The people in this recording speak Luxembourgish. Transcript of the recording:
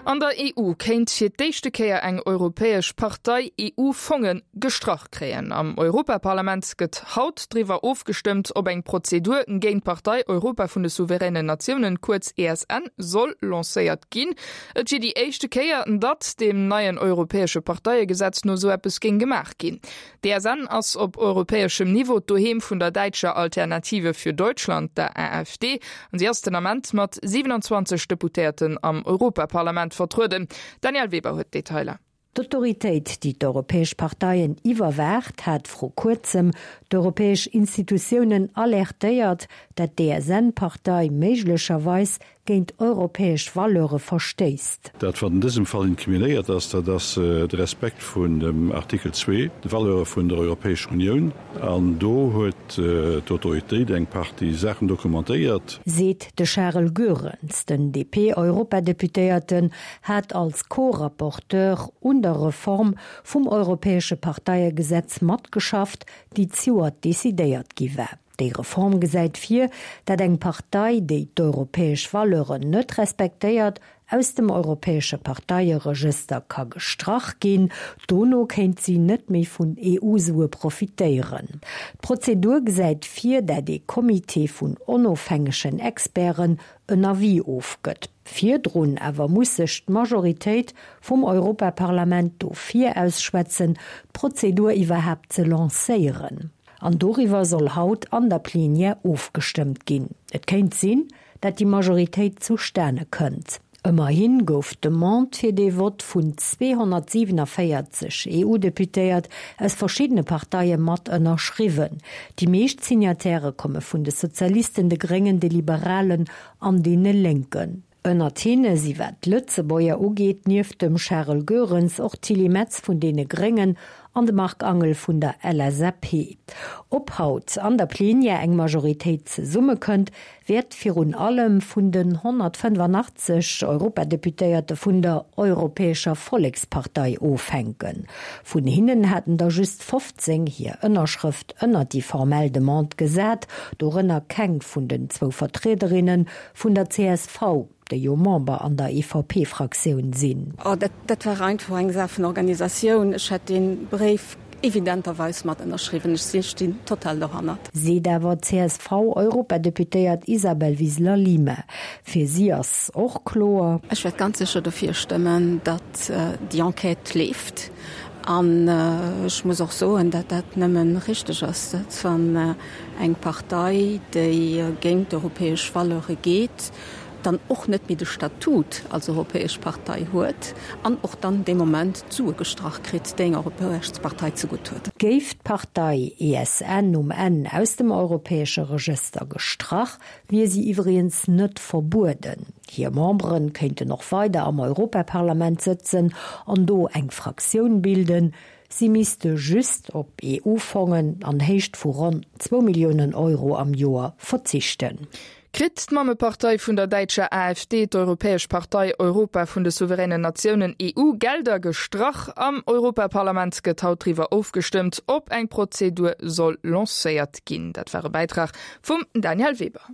An der EU kéint fir d'éischte Kéier eng europäesch Partei EU-Fonge gestrach kréien. Am Europaparlament gëtt haut driwwer ofgestëmmt, ob eng Prozedur géint d'Partei Europa vun de souveränen Natiounen, kuerz ESN, soll lancéiert ginn. Et wier déi éischte Kéier, datt deem neien europäesche Parteiegesetz no esou eppes géing gemaach ginn. D'ESN ass op europäeschem Niveau d'Doheem vun der däitscher Alternative für Deutschland, der AfD, an si ass den Ament mat 27 Deputéierten am Europaparlament vertrueden. D'Danièle Weber huet d'Detailer. D'Autoritéit, déi d'europäesch Parteien iwwerwaacht, hat vru kuerzem d'europäesch Institutiounen alertéiert, dat d'ESN-Partei méiglecherweis géint europäesch Valeure verstéisst. Dat, wat an dësem Fall inkriminéiert ass, dat ass de Respekt vun dem Artikel zwee, de Valeure vun der Europäescher Unioun. An do huet d'Autoritéit eng Partie Saachen dokumentéiert. Seet de Charel Goerens. Den DP-Europadeputéierten hat als Co-Rapporteur un der Reform vum europäesche Parteiegesetz matgeschafft, déi zejoert decidéiert gi war. Déi Reform gesäit vir, dat eng Partei, déi d'europäesch Valeuren net respektéiert, aus dem europäesche Parteieregëster ka gestrach ginn. Dono kéint si net méi vun EU-Sue profitéieren. D'Prozedur gesäit vir, dat ee Comité vun onofhängegen Experten en Avis ofgëtt. Virdrun awer muss sech d'Majoritéit vum Europaparlament dofir ausschwätzen, d'Prozedur iwwerhaapt ze lancéieren. An doriwwer soll haut an der Plenière ofgestëmmt ginn. Et kéint sinn, dat déi Majoritéit zustane kënnt. Ëmmerhi gouf d'Demande fir dee Vott vun 247 EU-Deputéiert aus verschiddene Parteie mat ënnerschriwwen. Déi meescht Signatairë komme vun de Sozialisten, de Gréngen, de Liberalen an deene Lénken. Ënnert hinne si wat d'Lëtzebuerger ugeet nieft dem Charel Goerens och d'Tilly Metz vun deene Gréngen an de Marc Angel vun der LSAP. Ob haut an der Plenière eng Majoritéit zesummekënnt, wäert virun allem vun den 185 Europadeputéierte vun der Europäescher Vollekspartei ofhänken. Vun hinnen haten der just 15 hir Ënnerschrëft ënnert déi formell Demande gesat, dorënner keng vun den zwou Vertriederinne Vun der csv, déi jo Member an der EVP-Fraktioun sinn. Oh, dat, dat war einfach eng Saach vun Organisatioun. Ech hätt dee Bréif evidenterweis mat ënnerschriwwen. Ech si stinn total dohannert. Seet awer d'CSV-Europadeputéiert Isabel Wiseler-Lima. Fir si ass och kloer. Ech wäert ganz sécher dofir stëmmen, datt déi Enquête leeft. An ech muss och soen, datt dat nëmme richteg ass, datt wann eng Partei, déi géint d'europäesch Valeure geet, dann och net méi de Statut als europäesch Partei huet an och dann dee Moment d'Sue gestrach kritt, déi eng europäesch Partei zegutt huet. Géif d'Partei ESN um Enn aus dem europäesche Regëster gestrach, wier si iwwregens net verbueden. Hir Membere kéinten och weider am Europaparlament sëtzen an do eng Fraktioun bilden. Si misste just op EU-Fongen an Héicht vu ronn zwou Milliounen Euro am Joer verzichten. Kritt d'Mammepartei vun der däitscher AfD, d'Europäesch Partei Europa vun de souveränen Natiounen, EU, Gelder gestrach? Am Europaparlament gëtt haut driwwer ofgestëmmt, ob eng Prozedur soll lancéiert ginn. Dat war e Bäitrag vum Danièle Weber.